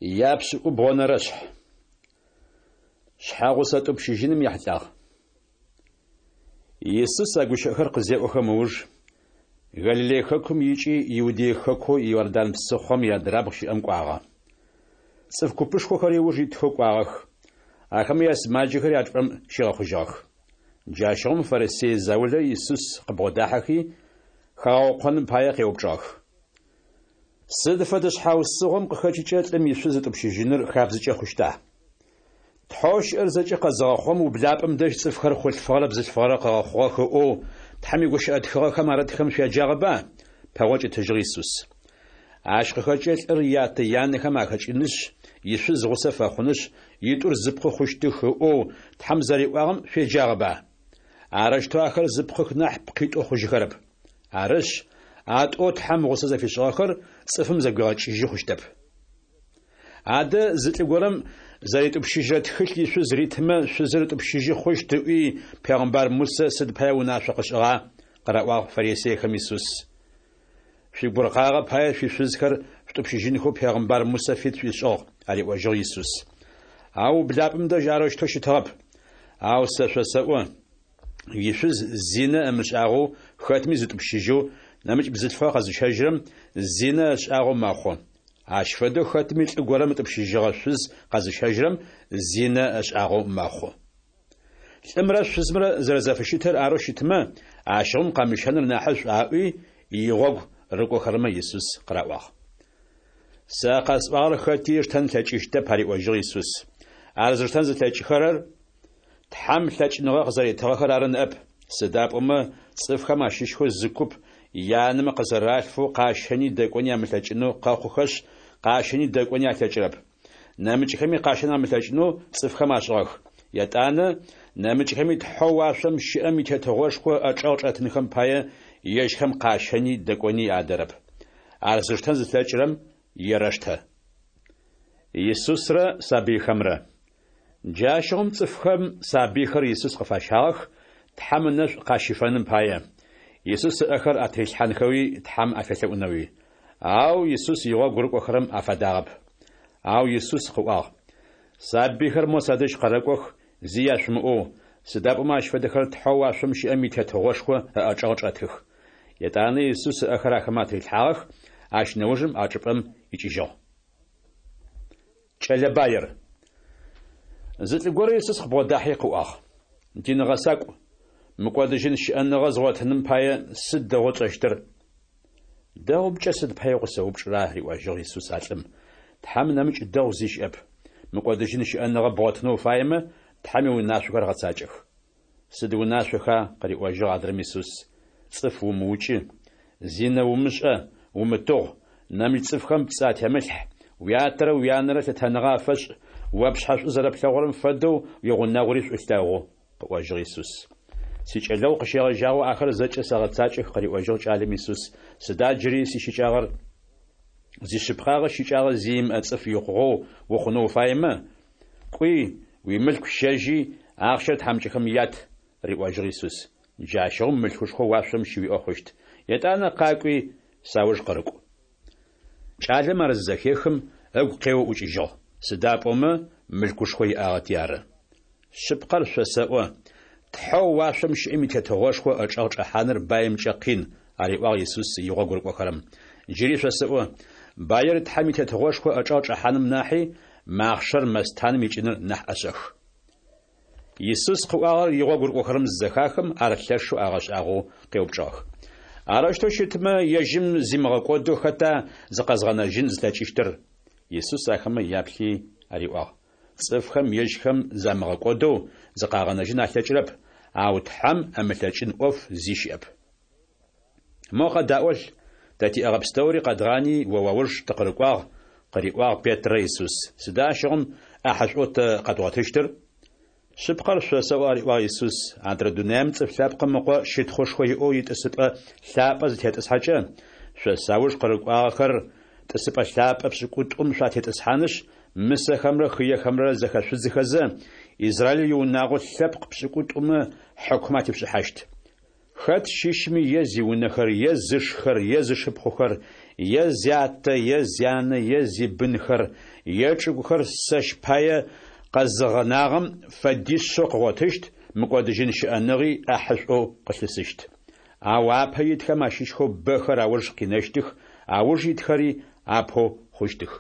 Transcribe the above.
Япшӏыкӏубгъонэрэ шъхь. Шъхьэгъусэ тӏупщыжьыным ехьылӏагъ. Исус а гущыӏэхэр къызеӏохэм ыуж, Галилей хэкум икӏи Иудей хэкоу Иордан псыхъом иадрабгъу щыӏэм кӏуагъэ. Цӏыф купышхохэри ыуж итхэу кӏуагъэх, ахэмэ ясымаджэхэри а чӏыпӏэм щигъэхъужьыгъэх. Джащыгъум фарисей заулэ Исус къыбгъодахьэхи, хагъэукъоным пае къеупчӏыгъэх. Сыд фэдэ шъхьаусыгъом къыхэкӏыкӏэ лӏым ишъуз ытӏупщыжьыныр хабзэкӏэ хъущта? Тхьэу щыӏэр зэкӏэ къэзыгъэхъугъэм ублапӏэм дэжь цӏыфхэр хъулъфыгъэрэ бзылъфыгъэрэ къыгъэхъугъэх ыӏоу Тхьэм игущыӏэ тхыгъэхэм арытхэм шъуяджагъэба? Пэгъокӏ ытыжьыгъ Исус. Ащ къыхэкӏыкӏэ лӏыр ятэ-янэхэм ахэкӏынышъ, ишъуз гъусэ фэхъунышъ, итӏур зы пкъы хъущтых ыӏоу Тхьэм зэриӏуагъэм шъуеджагъэба? Арэущтэу ахэр зы пкъых нахь пкъитӏу хъужьыхэрэп. Арышъ, а тӏоу Тхьэм гъусэ зэфишӏыгъэхэр цӏыфым зэгуигъэкӏыжьы хъущтэп. Адэ зы лӏы горэм зэритӏупщыжьырэ тхылъ ишъуз ритымэ, шъузыр ытӏупщыжьы хъущт ыӏуи, пегъымбар Мусэ сыд пае унашъо къышӏыгъа? къыраӏуагъ фарисейхэм Исус. Шъуигуркъагъэ пае шъуишъузхэр шъутӏупщыжьынхэу пегъымбар Мусэ фит шъуишӏыгъ, ариӏожьыгъ Исус. Ау ублапӏэм дэжь арэущтэу щытыгъэп. Ау сэ шъосэӏо, ишъуз зинэ ымышӏагъэу хэтми зытӏупщыжьэу, нэмыкӏ бзылъфыгъэ къэзыщэжьырэм зинэ ышӏагъэу мэхъу. Ащ фэдэу хэтми лӏы горэм ытӏупщыжьыгъэ шъуз къэзыщэжьырэм зинэ ышӏагъэу мэхъу. Лӏымрэ шъузымрэ зэрэзэфыщытыр арэу щытмэ, ащыгъум къэмыщэныр нахьышӏу аӏуи, игъогу рыкӏохэрэмэ Исус къыраӏуагъ. Сэ къэсӏуагъэр хэти ыштэн ылъэкӏыщтэп, ариӏожьыгъ Исус. Ар зыштэн зылъэкӏыхэрэр Тхьэм лъэкӏыныгъэ къызэритыгъэхэр ары ныӏэп, сыда пӏомэ цӏыфхэм ащыщхэу зы куп янэмэ къызэралъфэу къащэни дэкӏони амылъэкӏынэу къэхъухэшъ, къащэни дэкӏони алъэкӏырэп. Нэмыкӏхэми къащэн амылъэкӏынэу цӏыфхэм ашӏыгъэх. Етӏанэ, нэмыкӏхэми Тхьэу уашъом щыӏэм и Тетыгъошхо ыӏэчӏэгъ чӏэтынхэм пае ежьхэм къащэни дэкӏони адэрэп. Ар зыштэн зылъэкӏырэм ерэштэ. Исусрэ сабыйхэмрэ. Джащыгъум цӏыфхэм сабыйхэр Исус къыфащагъэх, Тхьэм ынэшӏу къащифэным пае, Исус ыӏэхэр атырилъхьанхэуи Тхьэм афелъэӏунэуи. Ау Исус игъогу рыкӏохэрэм афадагъэп. Ау Исус къыӏуагъ, Сабыйхэр мо садэжь къэрэкӏох, зи яшъумыӏоу, сыда пӏомэ ащ фэдэхэр Тхьэу уашъом щыӏэм и Тетыгъошхо ыӏэчӏэгъ чӏэтых. Етӏанэ Исус ыӏэхэр ахэмэ атырилъхьагъэх, ащ нэужым а чӏыпӏэм икӏыжьыгъ. Кӏэлэ баир. Зы лӏы горэ Исус къыбгъодахьи къыӏуагъ, Дин гъэсакӏу, мыкӏодыжьын щыӏэныгъэ згъотыным пае сыд дэгъоу тшӏэщтыр? Дэгъумкӏэ сыд пае укъысэупчӏыра? риӏожьыгъ Исус а лӏым. Тхьэм нэмыкӏ дэгъу зи щыӏэп. Мыкӏодыжьын щыӏэныгъэ бгъотынэу уфаемэ, Тхьэм иунашъохэр гъэцакӏэх. Сыд унашъоха? къыриӏожьыгъ адрэм Исус. Цӏыф умыукӏы, зинэ умышӏэ, умытыгъу, нэмыкӏ цӏыфхэм пцӏы атемылъхь, уятэрэ уянэрэ лъытэныгъэ афэшӏ, о пшъхьэ шӏу зэрэплъэгъурэм фэдэу уигъунэгъури шӏу лъэгъу, къыӏожьыгъ Исус. Сикӏэлэгъу къыщегъэжьагъэу ахэр зэкӏэ сэгъэцакӏэх, къыриӏожьыгъ кӏалэм Исус, сыда джыри сищыкӏагъэр? Зишъыпкъагъэ щыкӏагъэ зи имыӏэ цӏыф икъугъэу ухъунэу уфаемэ, Кӏуи, уимылъку щэжьи, ахъщэр тхьамыкӏэхэм ят, риӏожьыгъ Исус. Джащыгъум мылъкушхо уашъом щыуиӏэ хъущт. Етӏанэ къакӏуи, сауж къырыкӏу. Кӏалэм ар зызэхехым, ыгу къеоу ӏукӏыжьыгъ, сыда пӏомэ мылъкушхо иӏагъэти ары. Шъыпкъэр шъосэӏо, Тхьэу уашъом щыӏэм и Тетыгъошхо ычӏэгъ чӏэхьаныр баимкӏэ къин, ариӏуагъ Исус игъогу рыкӏохэрэм. Джыри шъосэӏо, баир Тхьэм и Тетыгъошхо ычӏэгъ чӏэхьаным нахьи, махъшэр мэстаным икӏыныр нахь ӏэшӏэх. Исус къыӏуагъэр игъогу рыкӏохэрэм зызэхахым, ар лъэшэу агъэшӏагъоу къеупчӏыгъэх. Арэущтэу щытмэ, ежьым зимыгъэкӏодэу хэта зыкъэзгъэнэжьын зылъэкӏыщтыр? Исус ахэмэ яплъи ариӏуагъ. Цӏыфхэм ежьхэм замыгъэкӏодэу зыкъагъэнэжьын алъэкӏырэп, ау Тхьэм ымылъэкӏын ӏоф зи щыӏэп. Мо къэдаӏолъ, тэ тиӏэгъэ пстэури къэдгъани о уауж тыкъырыкӏуагъ, къыриӏуагъ Петрэ Исус. Сыда ащыгъум ӏахьышӏоу тэ къэдгъотыщтыр? Шъыпкъэр шъосэӏо, ариӏуагъ Исус, адрэ дунаим Цӏыф Лъэпкъым Ыкъо щытхъушхо иӏэу итӏысыпӏэ лъапӏэ зытетӏысхьэкӏэ, шъо сауж къырыкӏуагъэхэр тӏысыпӏэ лъапӏэ пшӏыкӏутӏум шъуатетӏысхьанышъ, мысэхэмрэ хыехэмрэ зэхэшъудзыхэзэ, Израиль иунагъо лъэпкъ пшӏыкӏутӏумэ хьыкум атешъушӏыхьащт. Хэт щыщми е зиунэхэр, е зышхэр, е зышыпхъухэр, е зятэ, е зянэ, е зибынхэр, е чӏыгухэр сэщ пае къэзыгъэнагъэм фэдишъэу къыгъотыщт, мыкӏодыжьын щыӏэныгъи ӏэхьышӏоу къылъысыщт. Ау апэ итхэм ащыщхэу бэхэр ауж къинэщтых, ауж итхэри апэу хъущтых.